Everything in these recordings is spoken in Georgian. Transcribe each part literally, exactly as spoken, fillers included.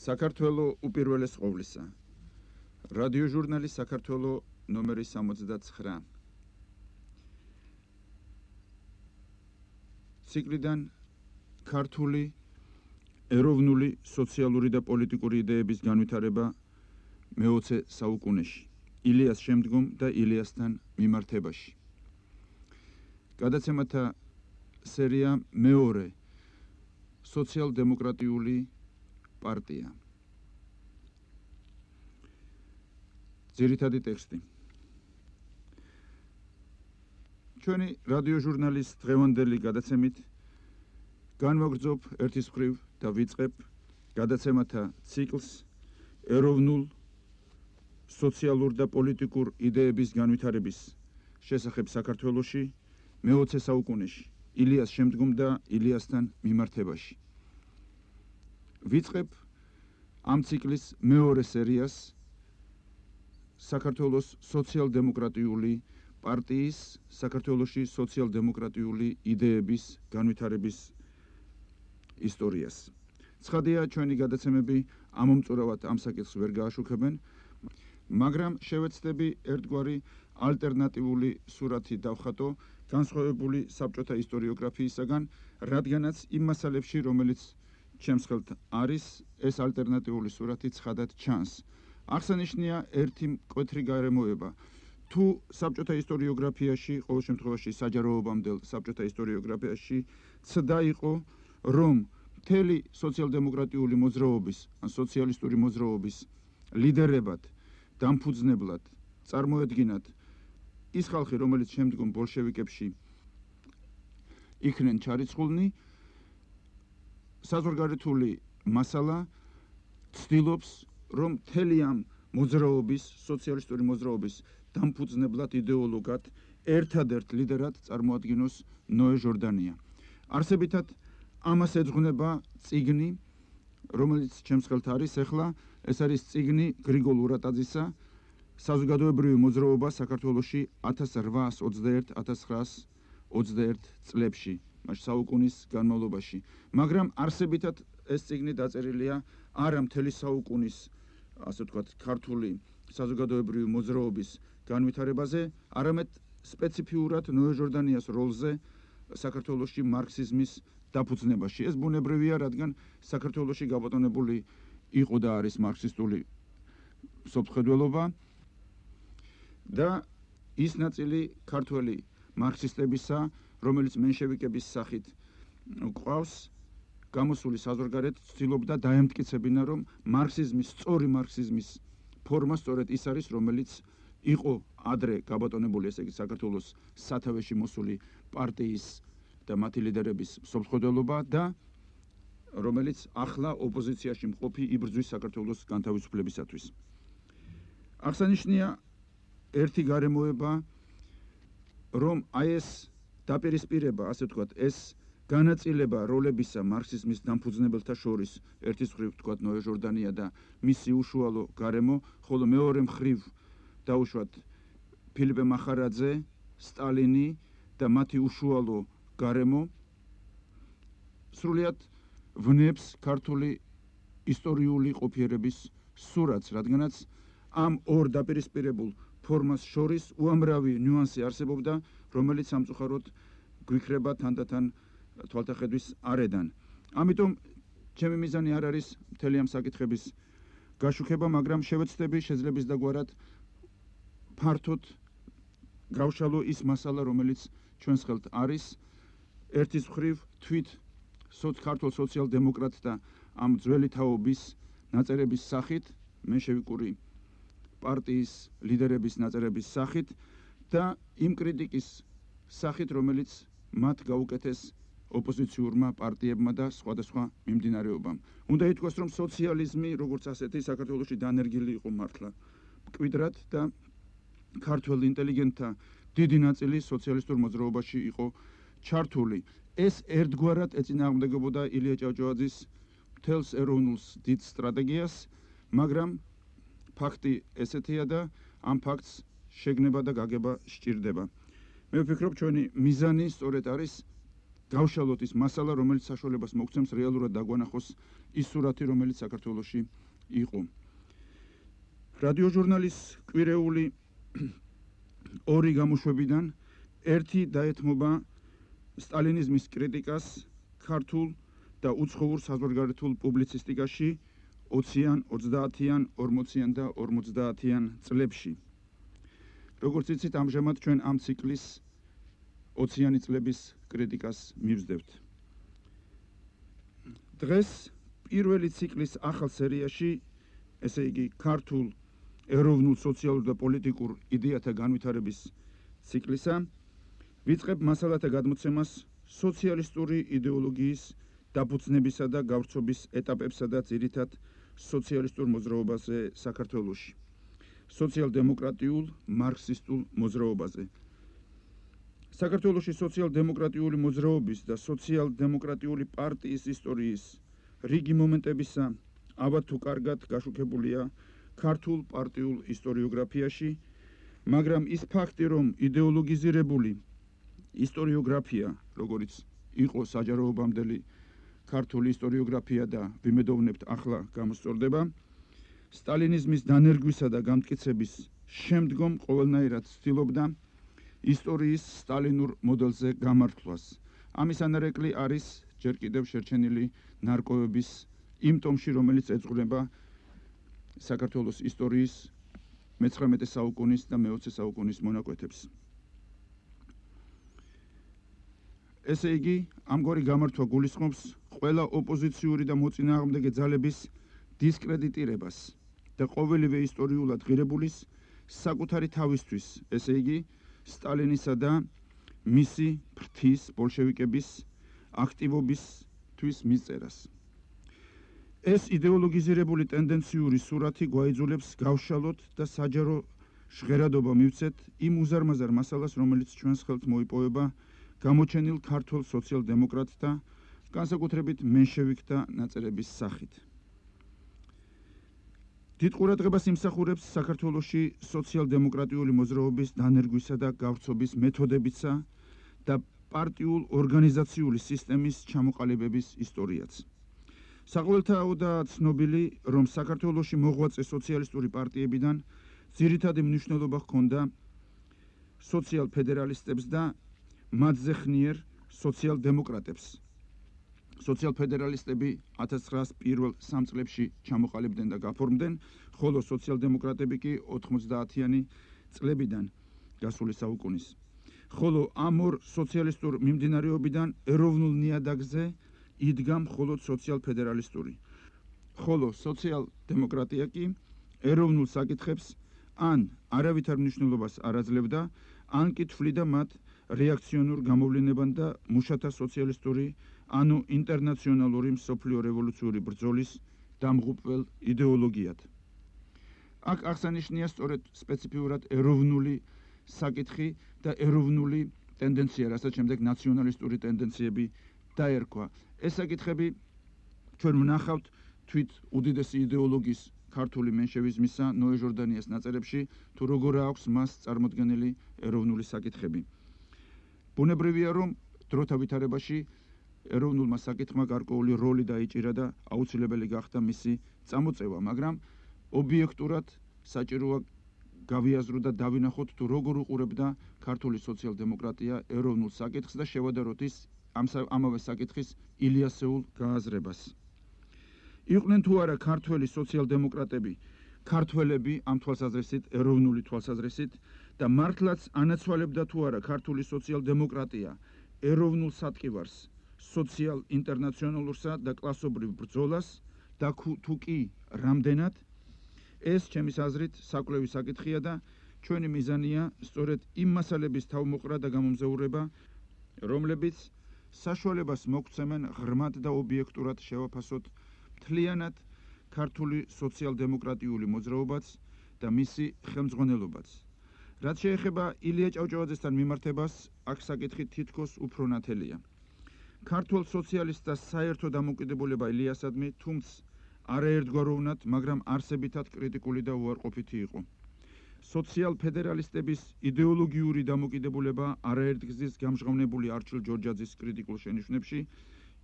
საქართველო უპირველეს ყოვლისა. რადიო ჟურნალი საქართველო ნომერი სამოცდაცხრა. ციკლიდან ქართული ეროვნული სოციალური და პოლიტიკური იდეების განვითარება მეოცე საუკუნეში, ილიას შემდგომ და ილიასთან მიმართებაში. გადაცემათა სერია მეორე სოციალ-დემოკრატიული პარტია. ძირითადი ტექსტი. ჩვენი რადიო ჟურნალის დღევანდელი გადაცემით განვაგრძობ ერთის მხრივ და ვიწყებ გადაცემათა ციკლს ეროვნულ სოციალურ და პოლიტიკურ იდეების განვითარების შესახებ საქართველოში მეოცე საუკუნეში, ილიას შემდგომ და ილიასთან მიმართებაში. ვიწყებ ამ ციკლის მეორე სერიას საქართველოს სოციალ-დემოკრატიული პარტიის საქართველოში სოციალ-დემოკრატიული იდეების განვითარების ისტორიას. ცხადია, ჩვენი გადაცემები ამომწურავად ამ საკითხს ვერ გააშუქებენ, მაგრამ შევეცდები ერთგვარი ალტერნატიული სურათი დავხატო განსხვავებული საბჭოთა ისტორიოგრაფიისაგან, რადგანაც იმ მასალებში, რომელიც ჩემს ხელთ არის, ეს ალტერნატიული სურათი ცხადად ჩანს. აღსანიშნია ერთი მკვეთრი გარემოება. თუ საბჭოთა ისტორიოგრაფიაში, ყოველ შემთხვევაში საჯაროობამდელ საბჭოთა ისტორიოგრაფიაში ცდა იყო, რომ მთელი სოციალ-დემოკრატიული მოძრაობის, ან სოციალისტური მოძრაობის ლიდერებად, დამფუძნებლად წარმოედგინათ ის ხალხი, რომელიც შემდგომ ბოლშევიკებში იქნენ ჩარიცხულნი, საზღვარგარეთული მასალა ცდილობს, რომ მთელი ამ მოძრაობის, სოციალისტური მოძრაობის დამფუძნებლად იდეოლოგად ერთადერთ ლიდერად წარმოადგინოს ნოე ჟორდანია. არსებითად ამას ეძღვნება წიგნი, რომელიც ჩემს ხელთ არის ახლა, ეს არის წიგნი გრიგოლ ურატაძისა საზოგადოებრივი მოძრაობა საქართველოში ათას რვაას ოცდაერთ - ათას ცხრაას ოცდაერთ წლებში, მას საუკუნის განმავლობაში. მაგრამ არსებითად ეს წიგნი დაწერილია არა მთელი საუკუნის, ასე ვთქვათ, ქართული საზოგადოებრივი მოძრაობის განვითარებაზე, არამედ სპეციფიურად ნოე ჟორდანიას როლზე საქართველოში მარქსიზმის დაფუძნებაში. ეს ბუნებრივია, რადგან საქართველოში გაბატონებული იყო და არის მარქსისტული სოფხედველობა და ის ნაწილი ქართველი მარქსისტებისა, რომელიც მენშევიკების სახით გვყავს, გამოსული საზღვარგარეთ ცდილობდა დაემტკიცებინა, რომ მარქსიზმის, სწორი მარქსიზმის ფორმა სწორედ ის არის, რომელიც იყო ადრე გაბატონებული, ესე იგი საქართველოს სათავეში მოსული პარტიის და მათი ლიდერების სოფხედველობა და რომელიც ახლა ოპოზიციაში მყოფი იბრძვის საქართველოს განთავისუფლებისათვის. აღსანიშნია ერთი გარემოება, რომ აი ეს დაპირისპირება, ასე ვთქვათ, ეს განაწილება როლებისა მარქსიზმის დამფუძნებელთა შორის, ერთის მხრივ ვთქვათ ნოე ჟორდანია და მისი უშუალო გარემო, ხოლო მეორე მხრივ დაუშვათ ფილიპე მახარაძე, სტალინი და მათი უშუალო გარემო, სრულიად ვნებს ქართული ისტორიული ყოფიერების სურათს, რადგანაც ამ ორ დაპირისპირებულ ფორმას შორის უამრავი ნიუანსი არსებობდა, რომელიც სამწუხაროდ გვიქრება თანდათან თვალთახედვის არედან. ამიტომ ჩემი მიზანი არ არის მთელი ამ საკითხების გაშუქება, მაგრამ შევეცდები შეძლების დაგვარად ფართოდ გავშალო ის მასალა, რომელიც ჩვენს ხელთ არის, ერთის მხრივ თვით ქართულ სოციალ-დემოკრატთა ამ ძველი თაობის ნაწერების სახით, მენშევიკური პარტიის ლიდერების ნაწერების სახით და იმ კრიტიკის სახით, რომელიც მათ გაუკეთეს ოპოზიციურმა პარტიებმა და სხვადასხვა მიმდინარეობამ. უნდა ითქვას, რომ სოციალიზმი, როგორც ასეთი, საქართველოში დანერგილი იყო მართლა მკვიდრად და ქართველ ინტელიგენტთა დიდი ნაწილი სოციალისტურ მოძრაობაში იყო ჩართული. ეს ერთგვარად ეწინააღმდეგებოდა ილია ჭავჭავაძის მთელს ეროვნულ დიდ სტრატეგიას, მაგრამ ფაქტი ესეთია და ამ ფაქტს შეგნება და გაგება სჭირდება. მე ვფიქრობ, ჩვენი მიზანი სწორედ არის გავშალოთ ის მასალა, რომელიც საშუალებას მოგცემს რეალურად დაგვანახოს ის სურათი, რომელიც საქართველოში იყო. რადიო ჟურნალის კვირეული ორი გამოშვებიდან ერთი დაეთმობა სტალინიზმის კრიტიკას ქართულ და უცხოურ საზღვარგარეთულ პუბლიცისტიკაში ოციან, ოცდაათიან, ორმოციან და ორმოცდაათიან წლებში. როგორც იცით, ამჟამად ჩვენ ამ ციკლის ოციანი წლების კრიტიკას მივსდევთ. დღეს პირველი ციკლის ახალ სერიაში, ესე იგი ქართულ ეროვნულ სოციალურ და პოლიტიკურ იდეათა განვითარების ციკლისა, ვიწყებ მასალათა გადმოცემას სოციალისტური იდეოლოგიის დაფუძნებისა და გავრცობის ეტაპებსა და ძირითად სოციალისტურ მოძრაობაზე საქართველოში, სოციალ-დემოკრატიულ მარქსისტულ მოძრაობაზე. საქართველოში სოციალ-დემოკრატიული მოძრაობის და სოციალ-დემოკრატიული პარტიის ისტორიის რიგი მომენტებისა ალბათ თუ კარგად გაშუქებულია ქართულ პარტიულ ისტორიოგრაფიაში, მაგრამ ის ფაქტი, რომ იდეოლოგიზირებული ისტორიოგრაფია, როგორც იყო საჯაროობამდელი ქართული ისტორიოგრაფია და ვიმედოვნებთ ახლა გამოსწორდება, სტალინიზმის დანერგვისა და გამტკიცების შემდგომ ყოველნაირად ცდილობდა ისტორიის სტალინურ მოდელზე გამართვას. ამის ანარეკლი არის ჯერ კიდევ შერჩენილი ნარკვევების იმ ტომში, რომელიც ეძღვნება საქართველოს ისტორიის მეცხრამეტე საუკუნის და მეოცე საუკუნის მონაკვეთებს. ესე იგი, ამგვარი გამართვა გულისხმობს ყველა ოპოზიციური და მოწინააღმდეგე ძალების დისკრედიტირებას და ყოველივე ისტორიულად ღირებულის საკუთარი თავისთვის, ესე იგი, სტალინისა და მისი ფრთის ბოლშევიკების აქტივობისთვის მისწერას. ეს იდეოლოგიზირებული ტენდენციური სურათი გვაიძულებს გავშალოთ და საჯარო ჟღერადობა მივცეთ იმ უზარმაზარ მასალას, რომელიც ჩვენს ხელთ მოიპოვება გამოჩენილ ქართულ სოციალ-დემოკრატთა, განსაკუთრებით მენშევიკთა ნაწერების სახით. დიდ ყურადღებას იმსახურებს საქართველოში სოციალ-დემოკრატიული მოძრაობის დანერგვისა და გავრცობის მეთოდებისა და პარტიულ ორგანიზაციული სისტემის ჩამოყალიბების ისტორიაც. საყოველთაოდაა ცნობილი, რომ საქართველოში მოღვაწე სოციალისტური პარტიებიდან ძირითადი მნიშვნელობა ჰქონდა სოციალ-ფედერალისტებს და მათზე ხნიერ სოციალ-დემოკრატებს. სოციალ-ფედერალისტები ათას ცხრაას პირველ სამ წლებში ჩამოყალიბდნენ და გაფორმდნენ, ხოლო სოციალ-დემოკრატები კი ოთხმოცდაათიანი წლებიდან გასული საუკუნის. ხოლო ამ ორ სოციალისტურ მიმდინარეობიდან ეროვნულ ნიადაგზე იდგა მხოლოდ სოციალ-ფედერალისტური. ხოლო სოციალ-დემოკრატია კი ეროვნულ საკითხებს ან არავითარ მნიშვნელობას არ აძლევდა, ან კი თვლიდა მათ რეაქციონურ გამოვლენებად და მუშათა სოციალისტური, ანუ ინტერნაციონალური მსოფლიო რევოლუციური ბრძოლის დამღუპველ იდეოლოგიად. აქ აღსანიშნია სწორედ სპეციფიურად ეროვნული საკითხი და ეროვნული ტენდენცია, რასაც შემდეგ ნაციონალისტური ტენდენციები დაერქვა. ეს საკითხები ჩვენ ვნახავთ თვით უდიდესი იდეოლოგის ქართული მენშევიზმისა ნოე ჟორდანიას ნაწერებში, თუ როგორ აქვს მას წარმოდგენილი ეროვნული საკითხები. ბუნებრივია, რომ დროთა ვითარებაში ეროვნულმა საკითხმა გარკვეული როლი დაიჭირა და აუცილებელი გახდა მისი წამოწევა, მაგრამ ობიექტურად საჭიროა გავიაზროთ და დავინახოთ, თუ როგორ უყურებდა ქართული სოციალ-დემოკრატია ეროვნულ საკითხს და შევადაროთ ის ამავე საკითხის ილიასეულ გააზრებას. იყვნენ თუ არა ქართველი სოციალ-დემოკრატები, ქართველები ამ თვალსაზრისით, ეროვნული თვალსაზრისით და მართლაც ანაცვალებდა თუ არა ქართული სოციალ-დემოკრატია ეროვნულ სატკივარს, სოციალ-ინტერნაციონალურსა და კლასობრივ ბრძოლას და თუ კი რამდენად, ეს ჩემის აზრით საკვლევი საკითხია და ჩვენი მიზანია სწორედ იმ მასალების თავმოყრა და გამომზეურება, რომლებიც საშუალებას მოგცემენ ღრმად და ობიექტურად შევაფასოთ მთლიანად ქართული სოციალ-დემოკრატიული მოძრაობაც და მისი ხელმძღვანელობაც. რაც შეეხება ილია ჭავჭავაძესთან მიმართებას, აქ საკითხი თითქოს უფრო ნათელია. ქართულ სოციალისტთა საერთო დამოკიდებულება ილიასადმი, თუმცა არაერთგვაროვნად, მაგრამ არსებითად კრიტიკული და უარყოფითი იყო. სოციალ-ფედერალისტების იდეოლოგიური დამოკიდებულება არაერთგზის გამჟღავნებული არჩილ ჯორჯაძის კრიტიკულ შენიშვნებში.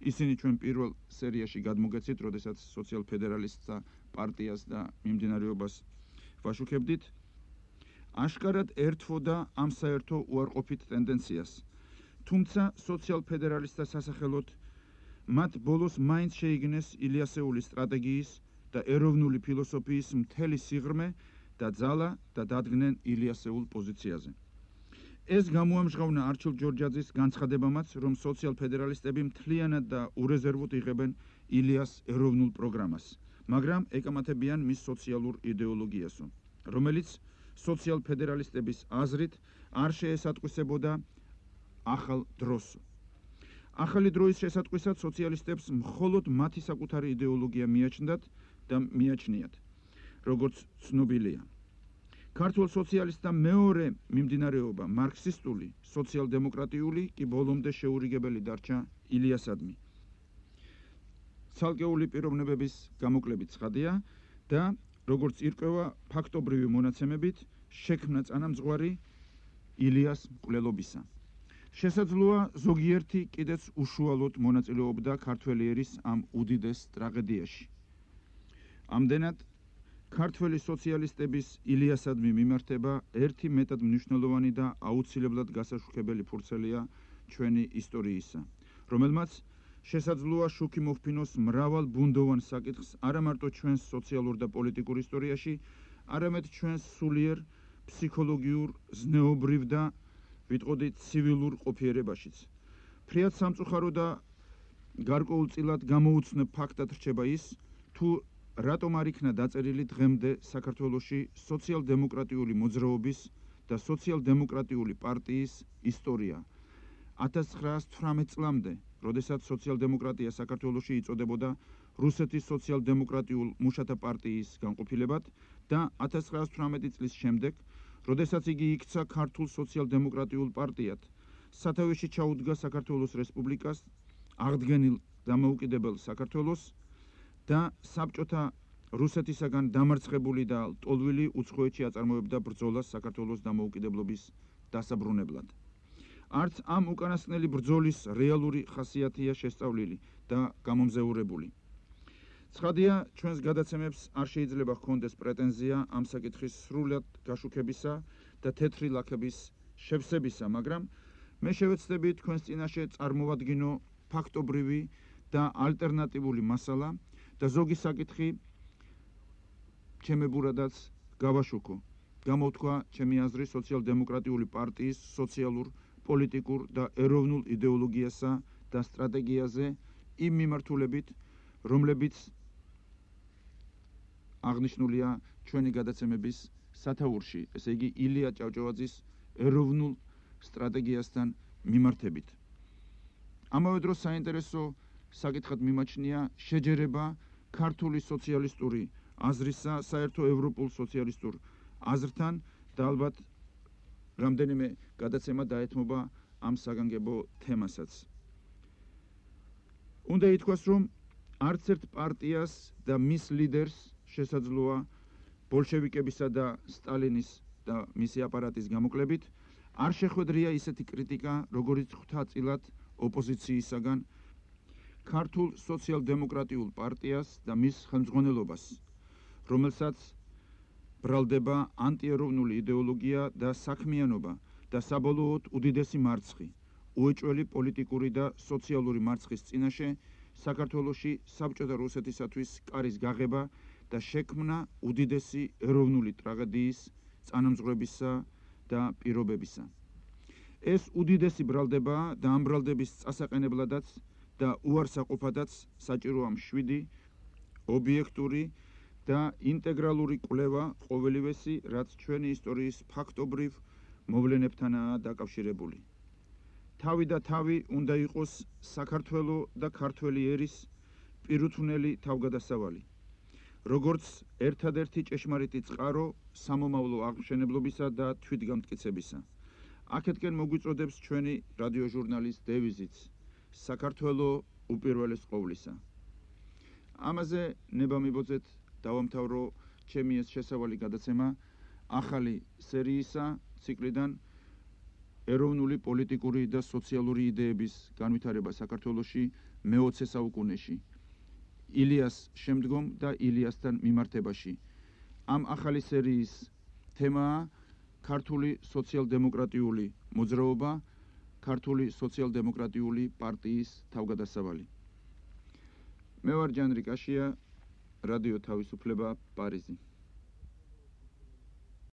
ისინი ჩვენ პირველ სერიაში გადმოგეცით, როდესაც სოციალ-ფედერალისტთა პარტიას და მიმდინარეობას ვაშუქებდით. აშკარად ერთვოდა ამ საერთო უარყოფით ტენდენციას. თუმცა სოციალ-ფედერალისტთა სასახელოდ მათ ბოლოს მაინც შეიგნეს ილიასეულის სტრატეგიის და ეროვნული ფილოსოფიის მთელი სიღრმე და ძალა და დადგნენ ილიასეულ პოზიციაზე. ეს გამოამჟღავნა არჩილ ჯორჯაძის განცხადებამაც, რომ სოციალ-ფედერალისტები მთლიანად და ურეზერვოდ იღებენ ილიას ეროვნულ პროგრამას, მაგრამ ეკამათებიან მის სოციალურ იდეოლოგიასო, რომელიც სოციალ-ფედერალისტების აზრით არ შეესატყვისებოდა ახალ დროსო. ახალი დროის შესატყვისად სოციალისტებს მხოლოდ მათი საკუთარი იდეოლოგია მიაჩნდათ და მიაჩნიათ, როგორც ცნობილია. ქართულ სოციალისტთა მეორე მიმდინარეობა მარქსისტული, სოციალ-დემოკრატიული კი ბოლომდე შეურიგებელი დარჩა ილიასადმი. ცალკეული პიროვნებების გამოკლებით ცხადია და როგორც ირკვევა ფაქტობრივი მონაცემებით შექმნა წანამძღვარი ილიას მკვლელობისა. შესაძლოა ზოგიერთი კიდეც უშუალოდ მონაწილეობდა ქართველი ერის ამ უდიდეს ტრაგედიაში. ამდენად ქართველი სოციალისტების ილიასადმი მიმართება ერთი მეტად მნიშვნელოვანი და აუცილებლად გასაშუქებელი ფურცელია ჩვენი ისტორიისა, რომელმაც შესაძლოა შუქი მოჰფინოს მრავალ ბუნდოვან საკითხს არა მარტო ჩვენს სოციალურ და პოლიტიკურ ისტორიაში, არამედ ჩვენს სულიერ ფსიქოლოგიურ, ზნეობრივ და ვიტყოდი ცივილურ ყოფიერებაშიც. ფრიად სამწუხარო და გარკვეულწილად გამოუცნობ ფაქტად რჩება ის, თუ რატომ არ იქნა დაწერილი დღემდე საქართველოში სოციალ-დემოკრატიული მოძრაობის და სოციალ-დემოკრატიული პარტიის ისტორია. ათას ცხრაასი თვრამეტ წლამდე, როდესაც სოციალ-დემოკრატია საქართველოში იწოდებოდა რუსეთის სოციალ-დემოკრატიულ მუშათა პარტიის განყოფილებად და ათას ცხრაასი თვრამეტი წლის შემდეგ, როდესაც იგი იქცა ქართულ სოციალ-დემოკრატიულ პარტიად, სათავეში ჩაუდგა საქართველოს რესპუბლიკას, აღდგენილ დამოუკიდებელ საქართველოს და საბჭოთა რუსეთისაგან დამარცხებული და ლტოლვილი უცხოეთში აწარმოებდა ბრძოლას საქართველოს დამოუკიდებლობის დასაბრუნებლად. არც ამ უკანასკნელი ბრძოლის რეალური ხასიათია შესწავლილი და გამომზეურებული. ცხადია, ჩვენს გადაცემებს არ შეიძლება ჰქონდეს პრეტენზია ამ საკითხის სრულად გაშუქებისა და თეთრი ლაქების შევსებისა, მაგრამ მე შევეცდები თქვენს წინაშე წარმოვადგინო ფაქტობრივი და ალტერნატიული მასალა და ზოგი საკითხი ჩემებურადაც გავაშუქო. გამოვთქვა ჩემი აზრი სოციალ-დემოკრატიული პარტიის სოციალურ, პოლიტიკურ და ეროვნულ იდეოლოგიასა და სტრატეგიაზე იმ მიმართულებით, რომლებიც აღნიშნულია ჩვენი გადაცემების სათაურში, ესე იგი ილია ჭავჭავაძის ეროვნულ სტრატეგიასთან მიმართებით. ამავე დროს საინტერესო საკითხად მიმაჩნია შეჯერება ქართული სოციალისტური აზრისა საერთო ევროპულ სოციალისტურ აზრთან და ალბათ რამდენიმე გადაცემა დაეთმობა ამ საგანგებო თემასაც. უნდა ითქვას, რომ არც ერთ პარტიას და მის ლიდერს შესაძლოა ბოლშევიკებისა და სტალინის და მისი აპარატის გამოკლებით არ შეხვედრია ისეთი კრიტიკა, როგორიც ღვთაწილად ოპოზიციისაგან ქართულ სოციალ-დემოკრატიულ პარტიას და მის ხელმძღვანელობას, რომელსაც ბრალდება ანტიეროვნული იდეოლოგია და საქმიანობა და საბოლოოდ უდიდესი მარცხი, უეჭველი პოლიტიკური და სოციალური მარცხის წინაშე საქართველოში საბჭოთა რუსეთისათვის კარის გაღება და შექმნა უდიდესი ეროვნული ტრაგედიის წანამძღვრებისა და პირობებისა. ეს უდიდესი ბრალდება და ამ ბრალდების წასაყენებლადაც და უარსაყოფადაც საჭიროა მშვიდი, ობიექტური და ინტეგრალური კვლევა ყოველივესი, რაც ჩვენი ისტორიის ფაქტობრივ მოვლენებთანაა დაკავშირებული. თავი და თავი უნდა იყოს საქართველო და ქართველი ერის პირუთვნელი თავგადასავალი, როგორც ერთადერთი ჭეშმარიტი წყარო სამომავლო აღმშენებლობისა და თვითგამტკიცებისა. აქეთკენ მოგვიწოდებს ჩვენი რადიოჟურნალის დევიზიც საქართველო უპირველეს ყოვლისა. ამაზე ნება მიბოძეთ დავამთავრო ჩემი ეს შესავალი გადაცემა, ახალი სერიისა ციკლიდან ეროვნული პოლიტიკური და სოციალური იდეების განვითარება საქართველოში მეოცე საუკუნეში. ილიას შემდგომ და ილიასთან მიმართებაში. ამ ახალი სერიის თემაა ქართული სოციალ-დემოკრატიული მოძრაობა, ქართული სოციალ-დემოკრატიული პარტიის თავგადასავალი. მე ვარ ჯანრი კაშია, რადიო თავისუფლება, პარიზი.